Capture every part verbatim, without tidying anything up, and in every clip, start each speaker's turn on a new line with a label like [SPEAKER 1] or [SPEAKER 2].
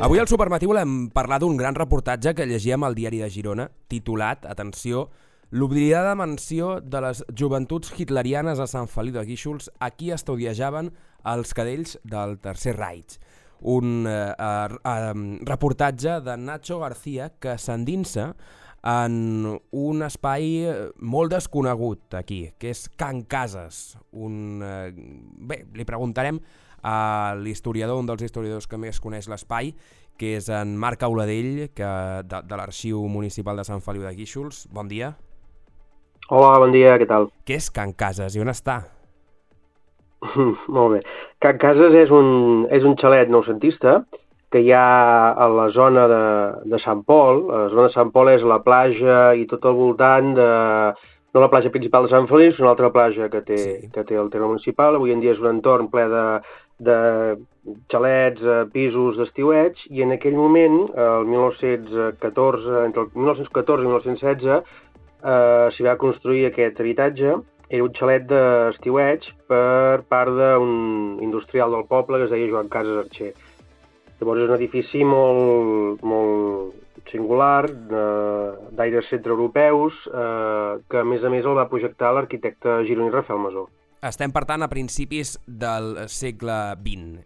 [SPEAKER 1] Avui al Supermatí volem parlar d'un gran reportatge que llegíem al Diari de Girona, titulat, atenció, l'oblidada mansió de les joventuts hitlerianes a Sant Feliu de Guíxols, aquí estudiajaven els cadells del Tercer Reich. Un eh, eh, reportatge de Nacho García que s'endinsa en un espai molt desconegut aquí, que és Can Cases. Un, eh, bé, li preguntarem a l'historiador, un dels historiadors que més coneix l'espai, que és en Marc Auladell, que, de, de l'Arxiu Municipal de Sant Feliu de Guíxols. Bon dia.
[SPEAKER 2] Hola, bon dia, què tal?
[SPEAKER 1] Què és Can Cases i on està?
[SPEAKER 2] Molt bé. Can Cases és un, és un xalet noucentista que hi ha a la zona de, de Sant Pol. La zona de Sant Pol és la platja i tot al voltant de... no la platja principal de Sant Feliu, sinó una altra platja que té,
[SPEAKER 1] Sí.
[SPEAKER 2] que té el terme municipal. Avui en dia és un entorn ple de, de xalets, pisos d'estiueig, i en aquell moment, el mil nou-cents catorze, entre el mil nou-cents catorze i mil nou-cents setze, eh, s'hi va construir aquest habitatge. Era un xalet d'estiueig per part d'un industrial del poble que es deia Joan Cases Archer. Llavors és un edifici molt, molt singular, d'aires centreeuropeus, eh, que a més a més el va projectar l'arquitecte gironí Rafael Masó.
[SPEAKER 1] Estem, per tant, a principis del segle vint.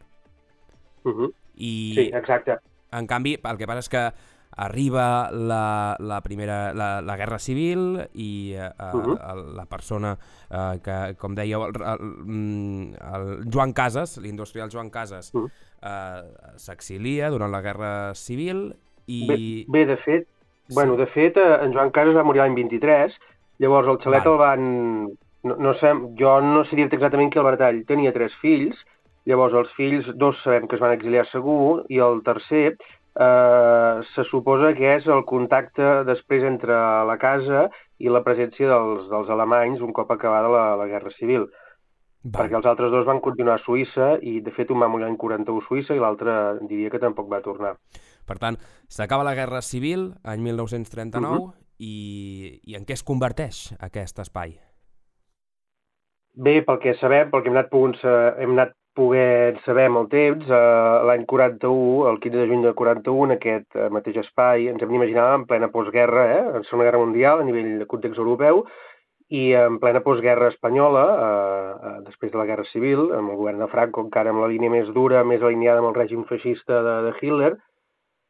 [SPEAKER 2] Uh -huh.
[SPEAKER 1] I,
[SPEAKER 2] Sí, exacte.
[SPEAKER 1] en canvi, el que passa és que arriba la, la primera la, la Guerra Civil i eh, uh
[SPEAKER 2] Uh-huh.
[SPEAKER 1] -huh. la persona eh, que, com dèieu, el, el, el Joan Cases, l'industrial Joan Cases,
[SPEAKER 2] Uh -huh.
[SPEAKER 1] eh, s'exilia durant la Guerra Civil i...
[SPEAKER 2] Bé, bé de fet,
[SPEAKER 1] Sí.
[SPEAKER 2] bueno, de fet, eh, en Joan Cases va morir l'any vint-i-tres, llavors el xalet
[SPEAKER 1] Val.
[SPEAKER 2] el van... No, no sé, jo no sé dir-te exactament qui el va heretar. Ell tenia tres fills, llavors els fills, dos sabem que es van exiliar segur, i el tercer eh, se suposa que és el contacte després entre la casa i la presència dels, dels alemanys un cop acabada la, la Guerra Civil.
[SPEAKER 1] Val.
[SPEAKER 2] Perquè els altres dos van continuar a Suïssa i, de fet, un va morir l'any quaranta-u a Suïssa i l'altre diria que tampoc va tornar.
[SPEAKER 1] Per tant, s'acaba la Guerra Civil, any mil nou-cents trenta-nou,
[SPEAKER 2] Uh-huh.
[SPEAKER 1] i, i en què es converteix aquest espai?
[SPEAKER 2] Bé, pel que sabem, pel que hem anat, pogut, hem anat poder saber amb el temps, eh, l'any quaranta-u, el quinze de juny de quaranta-u, en aquest eh, mateix espai, ens hem d'imaginar en plena postguerra, eh, en Segona Guerra Mundial, a nivell de context europeu, i en plena postguerra espanyola, eh, eh, després de la Guerra Civil, amb el govern de Franco encara amb la línia més dura, més alineada amb el règim feixista de, de Hitler,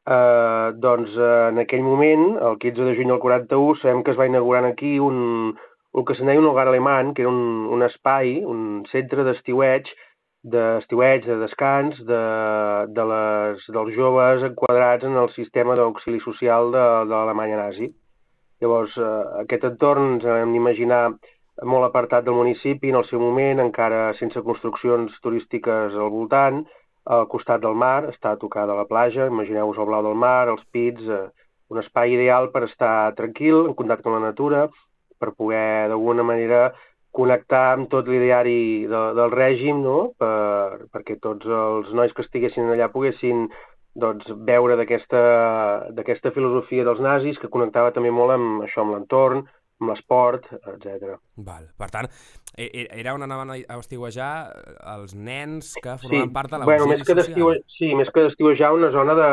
[SPEAKER 2] eh, doncs eh, en aquell moment, el quinze de juny del quaranta-u, sabem que es va inaugurar aquí un, el que se'n deia un hogar alemany, que era un, un espai, un centre d'estiueig, d'estiueig, de descans, de, de les, dels joves enquadrats en el sistema d'auxili social de, de l'Alemanya nazi. Llavors, eh, aquest entorn ens hem d'imaginar molt apartat del municipi, en el seu moment, encara sense construccions turístiques al voltant, al costat del mar, està a tocar de la platja, imagineu-vos el blau del mar, els pits, eh, un espai ideal per estar tranquil, en contacte amb la natura, per poder, d'alguna manera, connectar amb tot l'ideari de, del règim, no? per, perquè tots els nois que estiguessin allà poguessin doncs, veure d'aquesta d'aquesta filosofia dels nazis, que connectava també molt amb això, amb l'entorn, amb l'esport, etcètera.
[SPEAKER 1] Val. Per tant, e- e- era on anaven a estiuejar els nens que
[SPEAKER 2] Sí,
[SPEAKER 1] formaven part de
[SPEAKER 2] bueno,
[SPEAKER 1] l'auxili
[SPEAKER 2] més que
[SPEAKER 1] social.
[SPEAKER 2] d'estiuejar, sí, més que d'estiuejar, una zona de,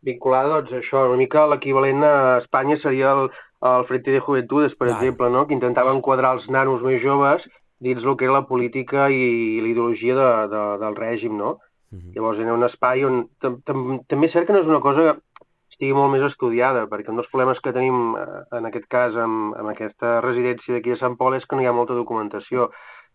[SPEAKER 2] vinculada, doncs, a això, una mica l'equivalent a Espanya seria el, el Frente de Juventudes, per
[SPEAKER 1] Val.
[SPEAKER 2] exemple, no? Que intentava enquadrar els nanos més joves dins el que era la política i l'ideologia de, de, del règim, no?
[SPEAKER 1] Mhm.
[SPEAKER 2] Llavors era un espai on... tam- tam- També és cert que no és una cosa que estigui molt més estudiada, perquè un dels problemes que tenim, eh, en aquest cas, amb, amb aquesta residència d'aquí a Sant Pol, és que no hi ha molta documentació.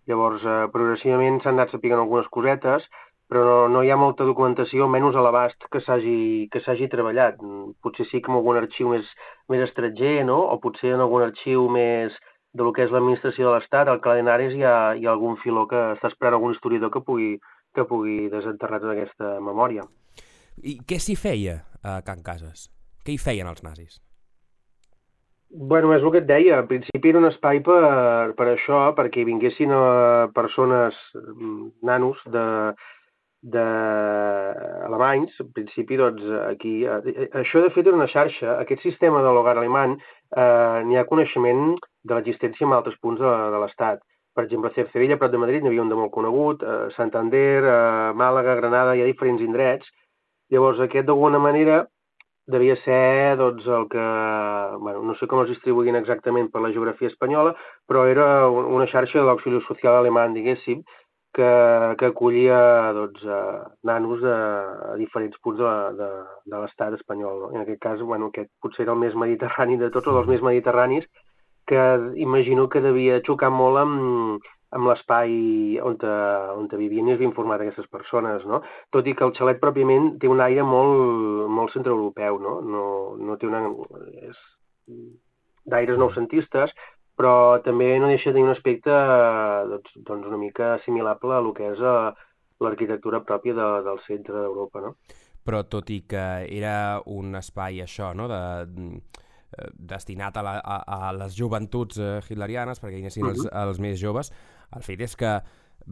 [SPEAKER 2] Llavors, eh, progressivament s'han anat sapigant algunes cosetes, però no, no hi ha molta documentació, almenys a l'abast, que s'hagi que s'hagi treballat. Mm, Potser sí que en algun arxiu més, més estranger, no? O potser en algun arxiu més de lo que és l'administració de l'Estat, al Cadenaris hi ha, hi ha algun filó que està esperant algun historiador que pugui, que pugui desenterrar tota aquesta memòria.
[SPEAKER 1] I què s'hi feia a Can Cases? Què hi feien els nazis?
[SPEAKER 2] Bueno, és el que et deia, en principi era un espai per, per això, perquè hi vinguessin eh, persones, mm, nanos, de, de alemanys, en principi, doncs, aquí... Eh, això, de fet, era una xarxa. Aquest sistema de l'hogar alemany, eh, n'hi ha coneixement de l'existència en altres punts de, de l'Estat. Per exemple, a Cercedella, prop de Madrid, n'hi havia un de molt conegut, eh, Santander, eh, Màlaga, Granada, hi ha diferents indrets, Llavors aquest d'alguna manera devia ser doncs, el que, bueno, no sé com es distribuïen exactament per la geografia espanyola, però era una xarxa de l'auxili social alemany, diguéssim, que, que acollia doncs, eh, nanos de, a diferents punts de, de, de l'estat espanyol. No? En aquest cas, bueno, aquest potser era el més mediterrani de tots, o dels més mediterranis, que imagino que devia xocar molt amb, amb l'espai on, te, on te vivien i es havien format aquestes persones, no? Tot i que el xalet pròpiament té un aire molt, molt centreeuropeu, no? No, no té una... és d'aires noucentistes, però també no deixa de tenir un aspecte doncs, doncs una mica assimilable a lo que és a l'arquitectura pròpia de, del centre d'Europa, no?
[SPEAKER 1] Però tot i que era un espai això, no?, de, destinat a, la, a, a les joventuts eh, hitlerianes, perquè hi anessin els, els més joves, el fet és que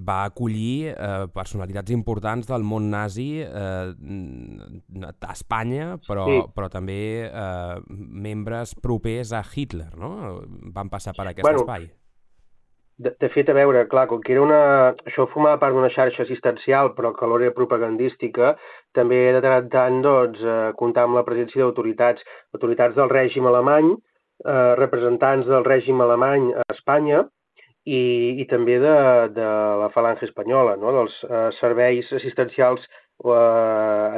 [SPEAKER 1] va acollir eh, personalitats importants del món nazi eh, a Espanya, però, sí. però també eh, membres propers a Hitler, no? Van passar per aquest
[SPEAKER 2] bueno,
[SPEAKER 1] espai.
[SPEAKER 2] De, de fet, a veure, clar, com que era una... això formava part d'una xarxa assistencial, però que alhora era propagandística, també de tant en tant doncs, eh, comptar amb la presència d'autoritats, autoritats del règim alemany, eh, representants del règim alemany a Espanya, i, i també de, de la falange espanyola, no? Dels eh, serveis assistencials eh,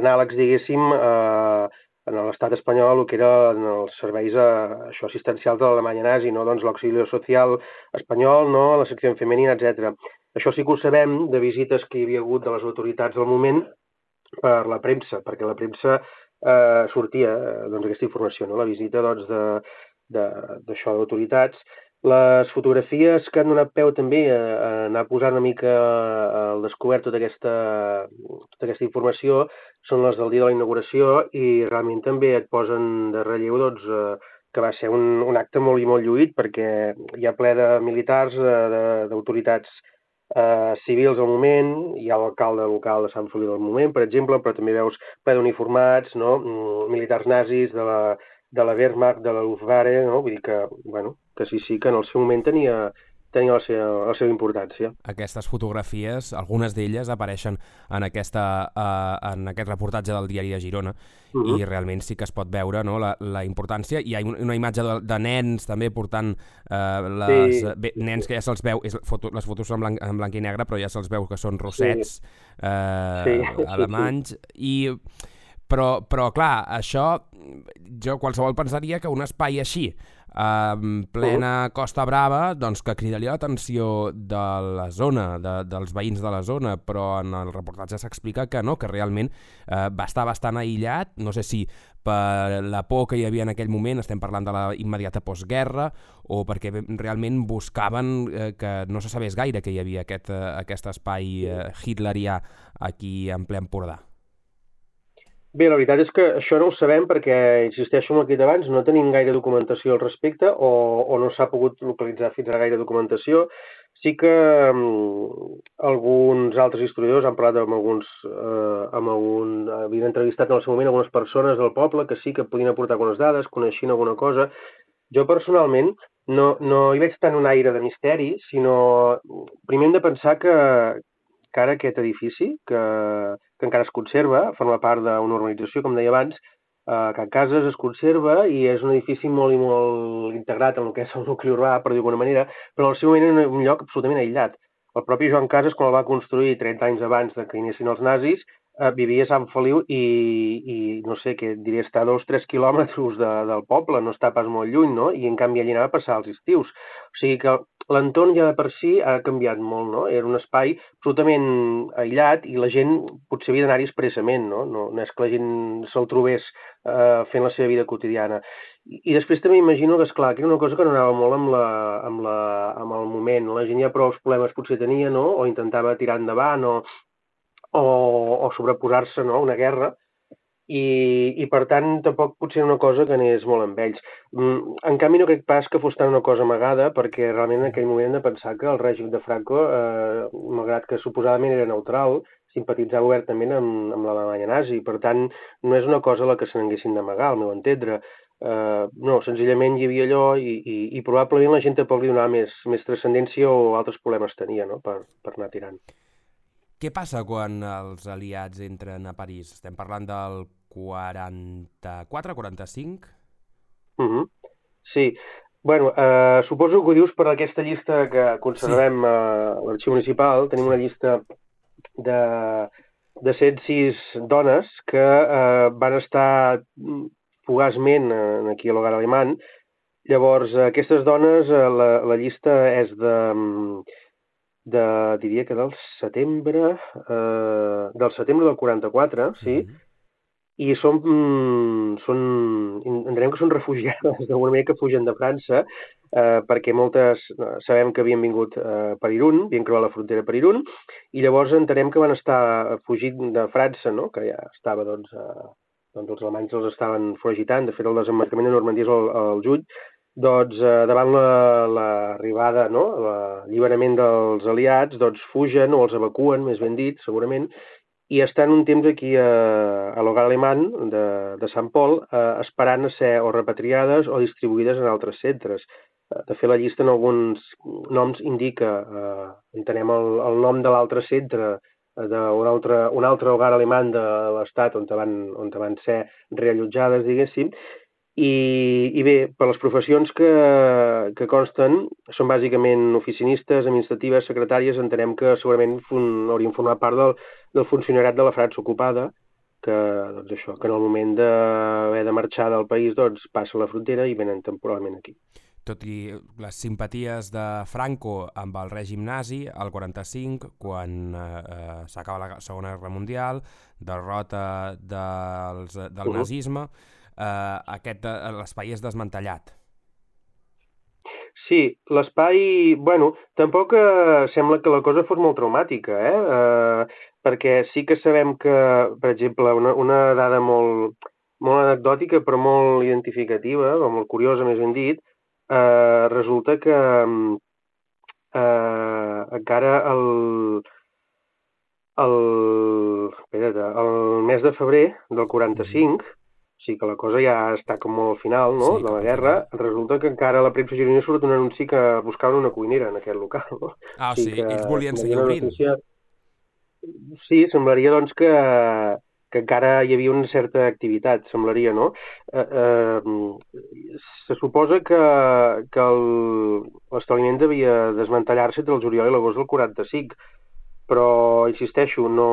[SPEAKER 2] anàlegs, diguéssim, eh, en l'estat espanyol, el que eren els serveis eh, això, assistencials de l'Alemanya nazi, no? Doncs l'auxili social espanyol, no? La secció femenina, etcètera. Això sí que ho sabem de visites que hi havia hagut de les autoritats al moment per la premsa, perquè la premsa eh, sortia eh, doncs, aquesta informació, no? La visita doncs, de, d'això d'autoritats. Les fotografies que han donat peu també a, a anar posant una mica al descobert tota aquesta, tota aquesta informació són les del dia de la inauguració i realment també et posen de relleu doncs, eh, que va ser un, un acte molt i molt lluït perquè hi ha ple de militars, d'autoritats eh, civils al moment, hi ha l'alcalde local de Sant Feliu del moment, per exemple, però també veus ple d'uniformats, no? Militars nazis de la, de la Wehrmacht, de la Luftwaffe, no? Vull dir que, bueno, que sí, sí, que en el seu moment tenia, tenia la, seva, la seva importància.
[SPEAKER 1] Aquestes fotografies, algunes d'elles apareixen en, aquesta, uh, en aquest reportatge del Diari de Girona, uh -huh. i realment sí que es pot veure, no?, la, la importància. Hi ha una imatge de, de nens també portant uh, les, sí. bé, nens que ja se'ls veu, és, foto, les fotos són en blanc, en blanc i negre, però ja se'ls veu que són rossets sí. Uh, sí. alemanys, i però, però clar, això jo qualsevol pensaria que un espai així en plena Costa Brava, doncs que cridaria l'atenció de la zona, de, dels veïns de la zona, però en el reportatge s'explica que no, que realment eh, va estar bastant aïllat, no sé si per la por que hi havia en aquell moment, estem parlant de la immediata postguerra, o perquè realment buscaven eh, que no se sabés gaire que hi havia aquest, eh, aquest espai eh, hitlerià aquí en ple Empordà.
[SPEAKER 2] Bé, la veritat és que això no ho sabem perquè, insisteixo en el que he dit abans, no tenim gaire documentació al respecte o, o no s'ha pogut localitzar fins a gaire documentació. Sí que um, alguns altres historiadors han parlat amb alguns, eh, amb algun, havien entrevistat en el seu moment algunes persones del poble que sí que podien aportar algunes dades, coneixien alguna cosa. Jo personalment no, no hi veig tant un aire de misteri, sinó primer hem de pensar que, que ara aquest edifici, que, que encara es conserva, forma part d'una urbanització, com deia abans, eh, Can Cases es conserva i és un edifici molt i molt integrat en el que és el nucli urbà, per dir d'alguna manera, però al seu moment era un lloc absolutament aïllat. El propi Joan Cases, quan el va construir trenta anys abans de que inicien els nazis, eh, vivia a Sant Feliu i, i no sé, què diria, està a dos o tres quilòmetres de, del poble, no està pas molt lluny, no? I en canvi allà anava a passar els estius. O sigui que l'entorn ja de per si ha canviat molt, no? Era un espai absolutament aïllat i la gent potser havia d'anar-hi expressament, no? No, no és que la gent se'l trobés eh, fent la seva vida quotidiana. I, i després també imagino que, esclar, que era una cosa que no anava molt amb, la, amb, la, amb el moment. La gent ja prou problemes potser tenia, no? O intentava tirar endavant o, o, o sobreposar-se, no?, a una guerra. I, i per tant tampoc potser una cosa que anés molt amb ells. En canvi no crec pas que fos tant una cosa amagada, perquè realment en aquell moment hem de pensar que el règim de Franco, eh, malgrat que suposadament era neutral, simpatitzava obertament amb, amb l'Alemanya nazi. Per tant, no és una cosa a la que se n'haguessin d'amagar, al meu entendre. Uh, no, senzillament hi havia allò i, i, i probablement la gent tampoc li donava més, més transcendència o altres problemes tenia, no?, per, per anar tirant.
[SPEAKER 1] Què passa quan els aliats entren a París? Estem parlant del quaranta-quatre, quaranta-cinc?
[SPEAKER 2] Uh -huh. Sí. Bueno, eh, suposo que ho dius per aquesta llista que conservem a l'Arxiu Municipal. Tenim una llista de, de cent sis dones que eh, van estar fugaçment aquí a l'Hogar Alemany. Llavors, aquestes dones, la, la llista és de, de, diria que del setembre, eh, del setembre del quaranta-quatre, sí, mm-hmm. I són, són, entenem que són refugiades d'alguna manera que fugen de França, eh, perquè moltes sabem que havien vingut eh, per Irún, havien creuat la frontera per Irún, i llavors entenem que van estar fugint de França, no? Que ja estava, doncs, eh, doncs els alemanys els estaven foragitant, de fet el desembarcament de Normandia és al, al juny, doncs eh, davant l'arribada, la, no? l'alliberament dels aliats, doncs fugen o els evacuen, més ben dit, segurament, i estan un temps aquí a, a l'Hogar Alemany de, de Sant Pol eh, esperant a ser o repatriades o distribuïdes en altres centres. De fet, la llista en alguns noms indica, eh, entenem el, el nom de l'altre centre, d'un altre, un altre hogar alemany de l'estat on van, on van ser reallotjades, diguéssim, i, i bé, per les professions que, que consten, són bàsicament oficinistes, administratives, secretàries, entenem que segurament fun, haurien format part del, del funcionariat de la França ocupada, que, doncs això, que en el moment d'haver de marxar del país doncs, passa la frontera i venen temporalment aquí.
[SPEAKER 1] Tot i les simpaties de Franco amb el règim nazi, al quaranta-cinc, quan eh, s'acaba la Segona Guerra Mundial, derrota dels, del uh-huh. nazisme, eh, aquest l'espai és desmantellat.
[SPEAKER 2] Sí, l'espai, bueno, tampoc eh, sembla que la cosa fos molt traumàtica, eh? eh perquè sí que sabem que, per exemple, una, una dada molt, molt anecdòtica però molt identificativa, o molt curiosa més ben dit, eh, resulta que eh, encara el, el, espera't, el mes de febrer del quaranta-cinc, o sigui que la cosa ja està com molt al final, no?, sí, de la guerra, resulta que encara a la premsa gironina surt un anunci que buscaven una cuinera en aquest local, no?
[SPEAKER 1] Ah, o sigui, sí, ells volien seguir obrint. Notícia...
[SPEAKER 2] Sí, semblaria, doncs, que, que encara hi havia una certa activitat, semblaria, no? Eh, eh, se suposa que, que l'establiment devia desmantellar-se entre el juliol i l'agost del quaranta-cinc, però, insisteixo, no,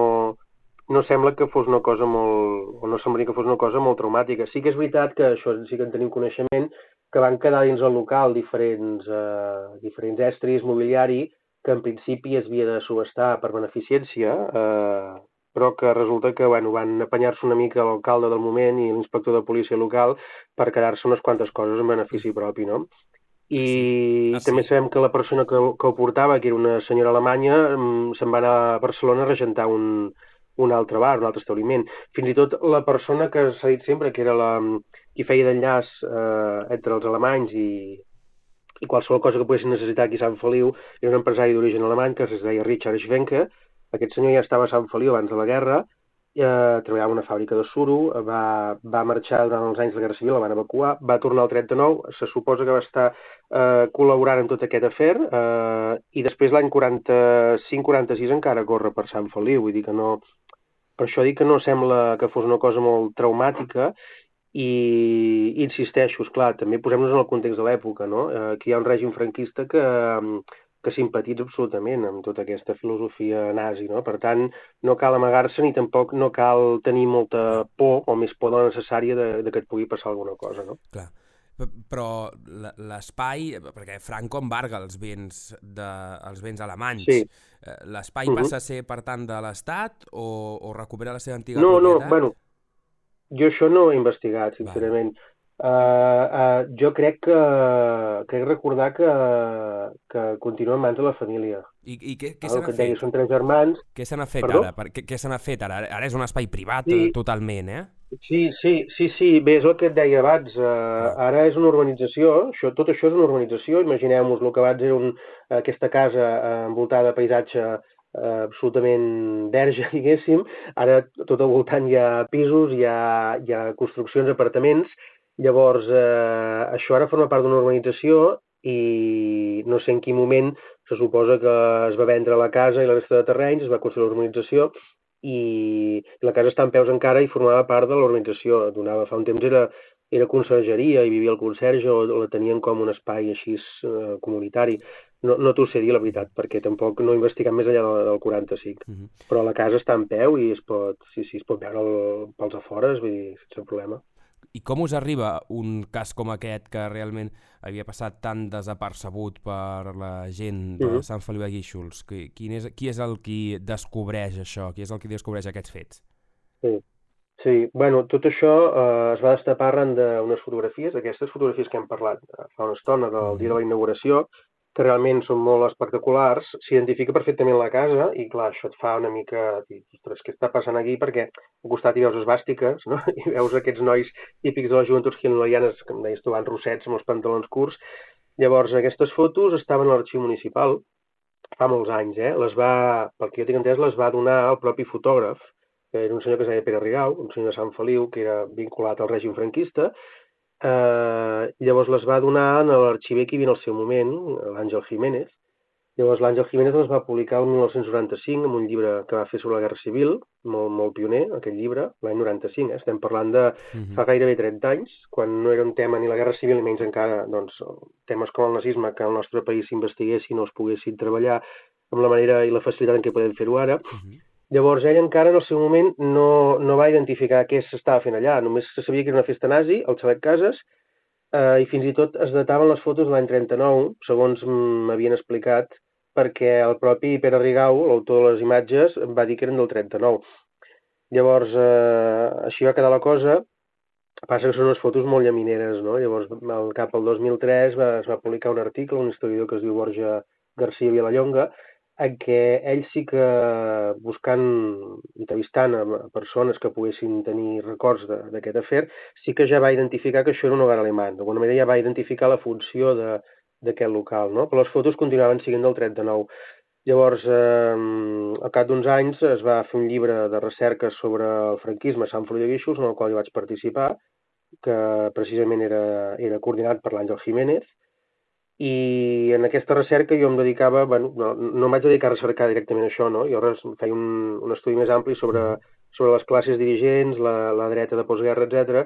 [SPEAKER 2] no sembla que fos una cosa molt, o no semblaria que fos una cosa molt traumàtica. Sí que és veritat que això sí que en tenim coneixement, que van quedar dins el local diferents, eh, diferents estris, mobiliari, que en principi es havia de subestar per beneficència, eh, però que resulta que bueno, van apanyar-se una mica l'alcalde del moment i l'inspector de policia local per quedar-se unes quantes coses en benefici propi, no? I sí. ah, sí. també sabem que la persona que, que ho portava, que era una senyora alemanya, se'n va anar a Barcelona a regentar un, un altre bar, un altre establiment. Fins i tot la persona que s'ha dit sempre que era la, qui feia d'enllaç eh, entre els alemanys i, i qualsevol cosa que poguessin necessitar aquí a Sant Feliu, era un empresari d'origen alemany que es deia Richard Schwenke. Aquest senyor ja estava a Sant Feliu abans de la guerra, eh, treballava en una fàbrica de suro, va, va marxar durant els anys de la Guerra Civil, la van evacuar, va tornar al trenta-nou, se suposa que va estar eh, col·laborant en tot aquest afer, eh, i després l'any quaranta-cinc quaranta-sis encara corre per Sant Feliu, vull dir que no... Per això dic que no sembla que fos una cosa molt traumàtica, i insisteixo, esclar, també posem-nos en el context de l'època, no? Aquí hi ha un règim franquista que, que simpatitza absolutament amb tota aquesta filosofia nazi, no? Per tant, no cal amagar-se ni tampoc no cal tenir molta por o més por de la necessària de, de que et pugui passar alguna cosa, no?
[SPEAKER 1] Clar. Però l'espai, perquè Franco embarga els béns, de, els béns alemanys, sí. L'espai uh-huh. passa a ser, per tant, de l'Estat o, o recupera la seva antiga
[SPEAKER 2] no,
[SPEAKER 1] propietat?
[SPEAKER 2] No, no, bueno, jo això no ho he investigat, sincerament. Uh, uh, jo crec que crec recordar que, que continua en mans de la família.
[SPEAKER 1] I, i què, què se n'ha fet?
[SPEAKER 2] Deia, són tres germans.
[SPEAKER 1] Què se n'ha fet Perdó? ara? Què, què se n'ha fet ara? Ara és un espai privat sí. totalment, eh?
[SPEAKER 2] Sí, sí, sí, sí, bé, és el que et deia abans. Uh, ah. Ara és una urbanització, això, tot això és una urbanització. Imagineu-vos el que abans era un, aquesta casa uh, envoltada de paisatge uh, absolutament verge, diguéssim. Ara tot al voltant hi ha pisos, hi ha, hi ha construccions, apartaments. Llavors, eh, això ara forma part d'una urbanització i no sé en quin moment se suposa que es va vendre la casa i la resta de terrenys, es va construir l'urbanització i la casa està en peus encara i formava part de l'urbanització. Donava, fa un temps era, era consergeria i vivia el conserge o la tenien com un espai així eh, comunitari. No, no t'ho sé dir, la veritat, perquè tampoc no he investigat més enllà del, del quaranta-cinc. Uh -huh. Però la casa està en peu i es pot, sí, sí, es pot veure el, pels afores, vull dir, sense problema.
[SPEAKER 1] I com us arriba un cas com aquest que realment havia passat tan desapercebut per la gent de uh -huh. Sant Feliu de Guíxols? Qui, qui, és, qui és el qui descobreix això? Qui és el qui descobreix aquests fets?
[SPEAKER 2] Sí, sí. Bueno, tot això eh, es va destapar arran d'unes fotografies, aquestes fotografies que hem parlat fa una estona del uh -huh. dia de la inauguració, que realment són molt espectaculars, s'identifica perfectament la casa i, clar, això et fa una mica dir, ostres, què està passant aquí? Perquè al costat hi veus esvàstiques, no? I veus aquests nois típics de les joventuts hitlerianes, que em deies tu, van rossets amb els pantalons curts. Llavors, aquestes fotos estaven a l'arxiu municipal fa molts anys, eh? Les va, pel que jo tinc entès, les va donar el propi fotògraf, que era un senyor que es deia Pere Rigau, un senyor de Sant Feliu, que era vinculat al règim franquista. Uh, llavors les va donar a l'arxiver que hi havia en el seu moment, l'Àngel Jiménez. Llavors l'Àngel Jiménez les va publicar el mil nou-cents noranta-cinc amb un llibre que va fer sobre la Guerra Civil, molt, molt pioner, aquell llibre, l'any noranta-cinc, eh? Estem parlant de uh-huh. fa gairebé trenta anys, quan no era un tema ni la Guerra Civil, ni menys encara doncs, temes com el nazisme que al nostre país s'investiguessin o es poguessin treballar amb la manera i la facilitat en què podem fer-ho ara. Uh-huh. Llavors, ell encara en el seu moment no, no va identificar què s'estava fent allà, només se sabia que era una festa nazi, el Xalet Cases, eh, i fins i tot es dataven les fotos de l'any trenta-nou, segons m'havien explicat, perquè el propi Pere Rigau, l'autor de les imatges, va dir que eren del trenta-nou. Llavors, eh, així va quedar la cosa, passa que són unes fotos molt llamineres, no? Llavors, al cap al dos mil tres va, es va publicar un article, un historiador que es diu Borja García Vilallonga, en què ell sí que, buscant, entrevistant a persones que poguessin tenir records d'aquest afer, sí que ja va identificar que això era un hogar alemany. D'alguna manera ja va identificar la funció d'aquest local, no? Però les fotos continuaven siguent del trenta-nou. Llavors, eh, al cap d'uns anys es va fer un llibre de recerca sobre el franquisme a Sant Feliu de Guíxols, en el qual jo vaig participar, que precisament era, era coordinat per l'Àngel Jiménez, i en aquesta recerca jo em dedicava, bueno, no, no em vaig dedicar a recercar directament això, no? Jo feia un, un estudi més ampli sobre, sobre les classes dirigents, la, la dreta de postguerra, etcètera.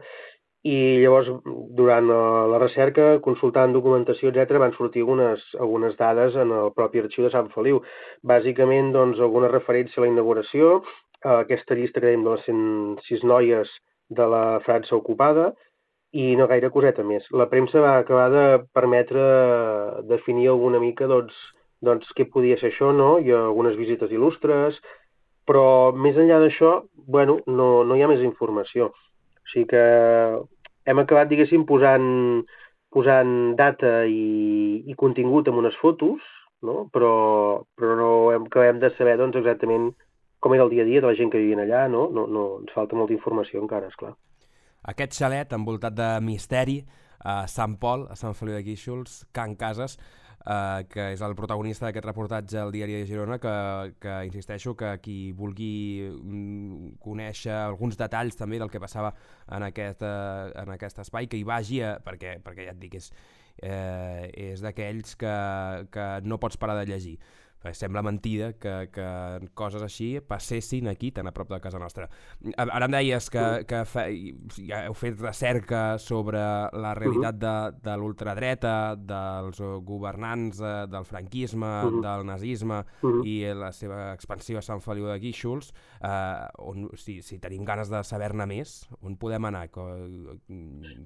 [SPEAKER 2] I llavors, durant la recerca, consultant documentació, etcètera, van sortir algunes, algunes dades en el propi arxiu de Sant Feliu. Bàsicament, doncs, alguna referència a la inauguració, a aquesta llista que dèiem de les cent sis noies de la França ocupada, i no gaire coseta més. La premsa va acabar de permetre definir alguna mica doncs, doncs què podia ser això, no? Hi ha algunes visites il·lustres, però més enllà d'això, bueno, no, no hi ha més informació. O sigui que hem acabat, diguéssim, posant, posant data i, i contingut en unes fotos, no? Però, però no hem, acabem de saber doncs, exactament com era el dia a dia de la gent que vivien allà, no? No, no ens falta molta informació encara, esclar.
[SPEAKER 1] Aquest xalet envoltat de misteri a Sant Pol, a Sant Feliu de Guíxols, Can Cases, eh, que és el protagonista d'aquest reportatge al Diari de Girona, que, que insisteixo que qui vulgui mm, conèixer alguns detalls també del que passava en aquest, eh, en aquest espai, que hi vagi, a, perquè, perquè ja et dic, és, eh, és d'aquells que, que no pots parar de llegir. Sembla mentida que, que coses així passessin aquí, tan a prop de casa nostra. Ara em deies que, que fe, ja heu fet recerca sobre la realitat de, de l'ultradreta, dels governants, del franquisme, uh-huh. del nazisme uh-huh. i la seva expansió a Sant Feliu de Guíxols. Eh, on, si, si tenim ganes de saber-ne més, on podem anar? Com,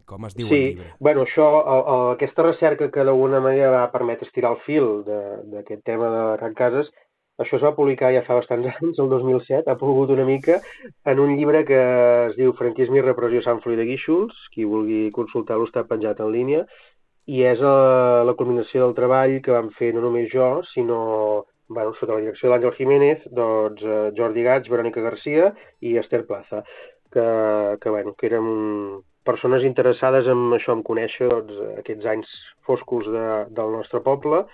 [SPEAKER 1] com es diu
[SPEAKER 2] sí,
[SPEAKER 1] el llibre?
[SPEAKER 2] Bueno, això, el, el, aquesta recerca que d'alguna manera va permetre estirar el fil d'aquest tema de Can Cases, això es va publicar ja fa bastants anys, el dos mil set, ha pogut una mica, en un llibre que es diu Franquisme i repressió a Sant Feliu de Guíxols, qui vulgui consultar-lo està penjat en línia, i és la, la culminació del treball que vam fer no només jo, sinó, bueno, sota la direcció de l'Àngel Jiménez, doncs Jordi Gats, Verònica Garcia i Esther Plaza, que, que, bueno, que érem persones interessades en això, en conèixer doncs, aquests anys foscos de, del nostre poble,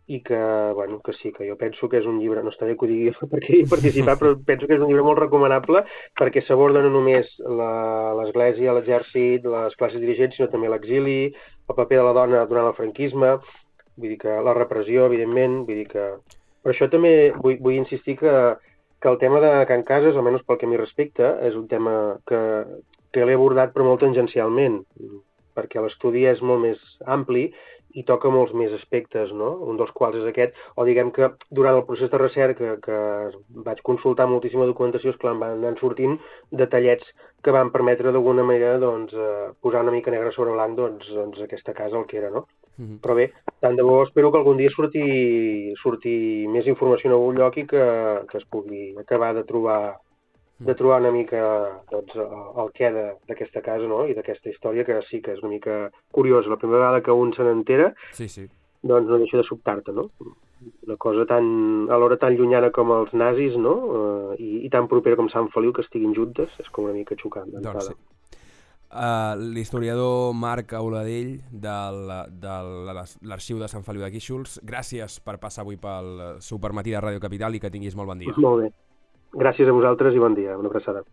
[SPEAKER 2] i que, bueno, que sí, que jo penso que és un llibre, no està bé que ho digui perquè hi he participat, però penso que és un llibre molt recomanable perquè s'aborda no només l'Església, l'Exèrcit, les classes dirigents, sinó també l'exili, el paper de la dona durant el franquisme. vull dir que la repressió, evidentment, vull dir que... Per això també vull, vull insistir que, que el tema de Can Casas, almenys pel que a mi respecta, és un tema que, que l'he abordat però molt tangencialment, perquè l'estudi és molt més ampli i toca molts més aspectes, no? Un dels quals és aquest, o diguem que durant el procés de recerca que vaig consultar moltíssima documentació, esclar, em van anar sortint detallets que van permetre d'alguna manera doncs, eh, posar una mica negre sobre blanc doncs, doncs aquesta casa el que era, no? Mm-hmm. Però bé, tant de bo espero que algun dia surti, surti més informació en algun lloc i que, que es pugui acabar de trobar de trobar una mica doncs, el què d'aquesta casa, no? I d'aquesta història, que sí que és una mica curiosa. La primera vegada que un se n'entera,
[SPEAKER 1] sí, sí. doncs
[SPEAKER 2] no deixa de sobtar-te, no? Una cosa tan, alhora tan llunyana com els nazis, no? Uh, i, i tan propera com Sant Feliu, que estiguin juntes, és com una mica xocant.
[SPEAKER 1] Doncs sí. Uh, l'historiador Marc Auladell de l'Arxiu de Sant Feliu de Guíxols, gràcies per passar avui pel Supermatí de Ràdio Capital i que tinguis molt bon dia.
[SPEAKER 2] Molt bé. Gràcies a vosaltres i bon dia. Una abraçada.